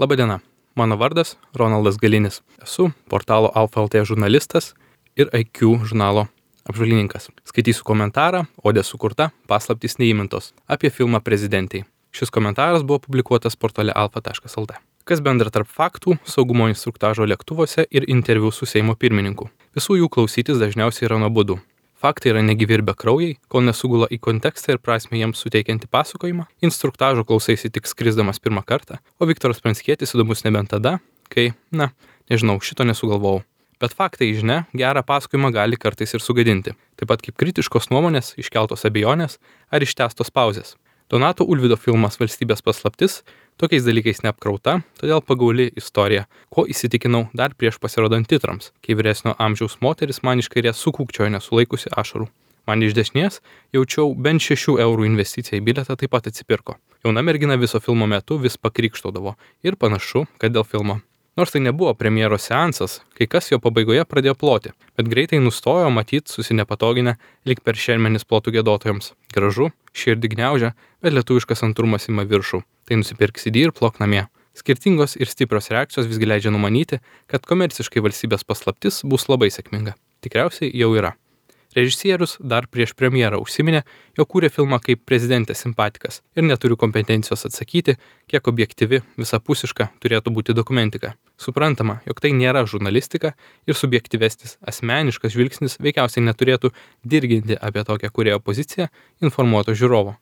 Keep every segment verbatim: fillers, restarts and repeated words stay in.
Labadiena, mano vardas Ronaldas Galinis. Esu portalo Alfa L T žurnalistas ir I Q žurnalo apžvalgininkas. Skaitysiu komentarą, Odė sukurta paslaptys neįmintos apie filmą Prezidentei. Šis komentaras buvo publikuotas portale alfa taškas lt. Kas bendra tarp faktų, saugumo instruktažo lėktuvuose ir interviu su Seimo pirmininku? Visų jų klausytis dažniausiai yra nuobodu. Faktai yra negyvi ir bekraujai, kol nesugula į kontekstą ir prasmę jiems suteikiantį pasakojimą. Instruktažo klausaisi tik skrisdamas pirmą kartą, o Viktoras Pranckietis įdomus nebent tada, kai, na, nežinau, šito nesugalvojau. Bet faktai, žinia, gerą pasakojimą gali kartais ir sugadinti, taip pat kaip kritiškos nuomonės, iškeltos abejonės ar ištęstos pauzės. Donato Ulvydo filmas Valstybės paslaptis tokiais dalykais neapkrauta, todėl pagauli istorija, ko įsitikinau dar prieš pasirodant titrams, kai vyresnio amžiaus moteris man iš kairės sukūkčiojo nesulaikusi ašarų. Man iš dešinės jaučiau bent šešių eurų investiciją į bilietą taip pat atsipirko. Jauna mergina viso filmo metu vis pakrikštaudavo ir panašu, kad dėl filmo. Nors tai nebuvo premjeros seansas, kai kas jo pabaigoje pradėjo ploti, bet greitai nustojo matyt susinepatoginę lyg per šermenis plotų giedotojams. Gražu, širdį gniaužia, bet lietuviškas santrumas ima viršų. Tai nusipirk C D ir plok namie. Skirtingos ir stiprios reakcijos visgi leidžia numanyti, kad komerciškai Valstybės paslaptis bus labai sėkminga. Tikriausiai jau yra. Režisierius dar prieš premjerą užsiminė, jog kūrė filmą kaip prezidentės simpatikas ir neturiu kompetencijos atsakyti, kiek objektyvi, visapusiška turėtų būti dokumentika. Suprantama, jog tai nėra žurnalistika ir subjektyvesnis asmeniškas žvilgsnis veikiausiai neturėtų dirginti apie tokią kūrėjo poziciją informuoto žiūrovo.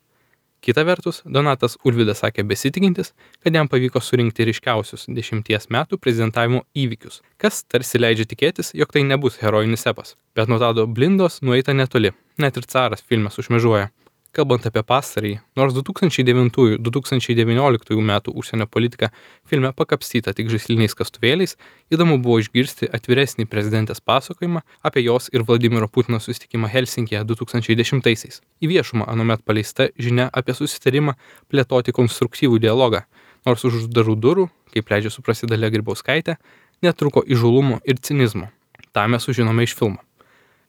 Kita vertus, Donatas Ulvydas sakė besitikintis, kad jam pavyko surinkti ryškiausius dešimties metų prezidentavimo įvykius, kas tarsi leidžia tikėtis, jog tai nebus herojinis epas. Bet nuo Tado Blindos nueita netoli, net ir caras filme sušmėžuoja. Kalbant apie pastarąjį, nors du tūkstančiai devintųjų - du tūkstančiai devynioliktųjų metų užsienio politika filme pakapstyta tik žaisliniais kastuvėliais, įdomu buvo išgirsti atviresnį prezidentės pasakojimą apie jos ir Vladimiro Putino susitikimą Helsinkije du tūkstančiai dešimtaisiais. Į viešumą anuomet paleista žinia apie susitarimą plėtoti konstruktyvų dialogą, nors už uždarų durų, kaip leidžia suprasti Dalia Grybauskaitė, netruko įžūlumo ir cinizmo. Ta mes sužinome iš filmo.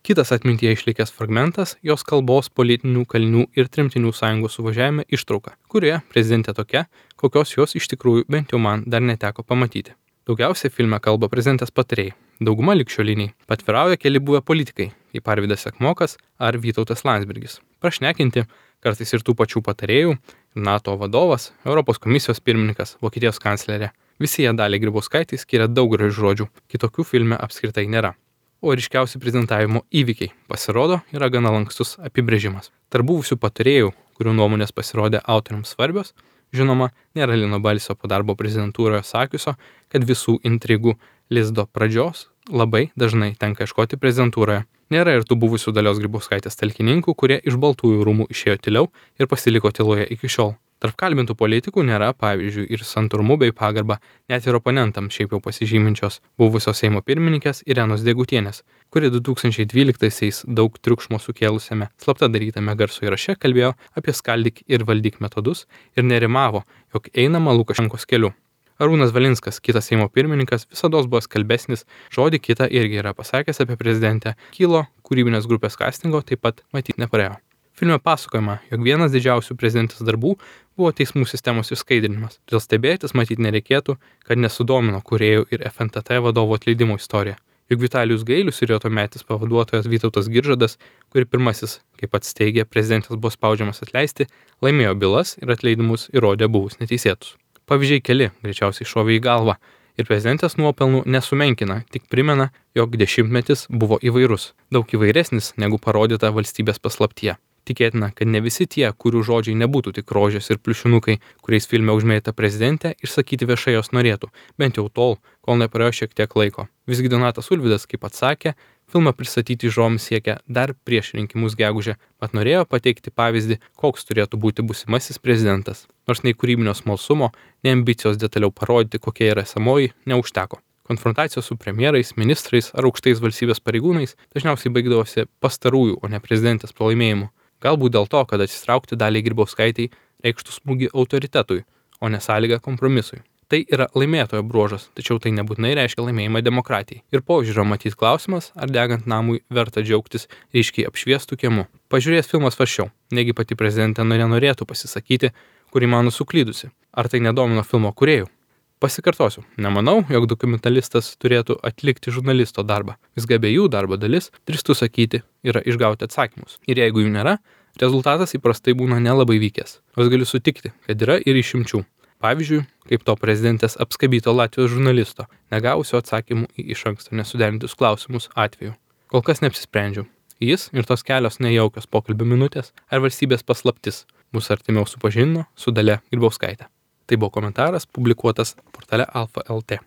Kitas atmintyje išlikęs fragmentas - jos kalbos politinių kalinių ir tremtinių sąjungos suvažiavime ištrauka, kurioje prezidentė tokia, kokios jos iš tikrųjų bent jau man dar neteko pamatyti. Daugiausiai filme kalba prezidentės patarėjai, dauguma ligšioliniai, patvirauja keli buvę politikai, kaip Arvydas Sekmokas ar Vytautas Landsbergis. Prašnekinti, kartais ir tų pačių patarėjų, NATO vadovas, Europos komisijos pirmininkas, Vokietijos kanclerė. Visi jie Daliai Grybauskaitei skiria daug gražių žodžių, kitokių filme apskritai nėra. O ryškiausi prezidentavimo įvykiai, pasirodo, yra gana lankstus apibrėžimas. Tarp buvusių patarėjų, kurių nuomonės pasirodė autoriams svarbios, žinoma, nėra Lino Balsio po darbo prezidentūroje sakiusio, kad visų intrigų lizdo pradžios labai dažnai tenka ieškoti prezidentūroje. Nėra ir tų buvusių Dalios Grybauskaitės talkininkų, kurie iš Baltųjų rūmų išėjo tyliau ir pasiliko tyloje iki šiol. Tarp kalbintų politikų nėra, pavyzdžiui, ir santūrumu bei pagarba net ir oponentams šiaip jau pasižyminčios buvusios Seimo pirmininkės Irenos Degutienės, kuri du tūkstančiai dvyliktaisiais daug triukšmo sukėlusiame slapta darytame garso įraše kalbėjo apie skaldyk ir valdyk metodus ir nerimavo, jog einama Lukašenkos keliu. Arūnas Valinskas, kitas Seimo pirmininkas, visados buvo skalbesnis, žodį kitą irgi yra pasakęs apie prezidentę, kilo kūrybinės grupės castingo taip pat matyt neparėjo. Filme pasakojama, jog vienas didžiausių prezidentės darbų buvo teismų sistemos išskaidrinimas. Todėl stebėtis matyt nereikėtų, kad nesudomino kūrėjų ir F N T T vadovo atleidimo istorija. Juk Vitalijus Gailius ir jo tuometis pavaduotojas Vytautas Giržadas, kuri pirmasis, kaip pats teigė, prezidentas buvo spaudžiamas atleisti, laimėjo bylas ir atleidimus įrodė buvus neteisėtus. Pavyzdžiai keli greičiausiai šovė į galvą ir prezidentės nuopelnų nesumenkina, tik primena, jog dešimtmetis buvo įvairus, daug įvairesnis negu parodyta Valstybės paslaptyje. Tikėtina, kad ne visi tie, kurių žodžiai nebūtų tik rožės ir pliušinukai, kuriais filme užmėta prezidentė, išsakyti viešai jos norėtų, bent jau tol, kol nepraėjo šiek tiek laiko. Visgi Donatas Ulvydas, kaip atsakė, filmą pristatyti žiūrovams siekia dar prieš rinkimus gegužę, mat norėjo pateikti pavyzdį, koks turėtų būti būsimasis prezidentas. Nors nei kūrybinio smalsumo, nei ambicijos detaliau parodyti, kokia yra esamoji, neužteko. Konfrontacijos su premjerais, ministrais ar aukštais valstybės pareigūnais dažniausiai baigdavosi pastarųjų, o ne prezidentės pralaimėjimu. Galbūt dėl to, kad atsitraukti Daliai Grybauskaitei reikštų smūgį autoritetui, o ne sąlygą kompromisui. Tai yra laimėtojo bruožas, tačiau tai nebūtinai reiškia laimėjimą demokratijai. Ir požiūrio matyt klausimas, ar degant namui verta džiaugtis ryškiai apšviestų kiemu. Pažiūrėjęs filmas svarsčiau, negi pati prezidentė nenorėtų pasisakyti, kuri mano suklydusi. Ar tai nedomino filmo kūrėjų? Pasikartosiu, nemanau, jog dokumentalistas turėtų atlikti žurnalisto darbą. Visgi abiejų darbo dalis, drįstu sakyti, yra išgauti atsakymus. Ir jeigu jų nėra, rezultatas įprastai būna nelabai vykęs. Nors galiu sutikti, kad yra ir išimčių. Pavyzdžiui, kaip to prezidentės apskabyto Latvijos žurnalisto, negavusio atsakymų į iš anksto nesuderintus klausimus atveju. Kol kas neapsisprendžiau. Jis ir tos kelios nejaukios pokalbio minutės ar valstybės paslaptis mus artimiau supažindino su Dalia Grybauskaite. Tai buvo komentaras publikuotas portale Alfa L T.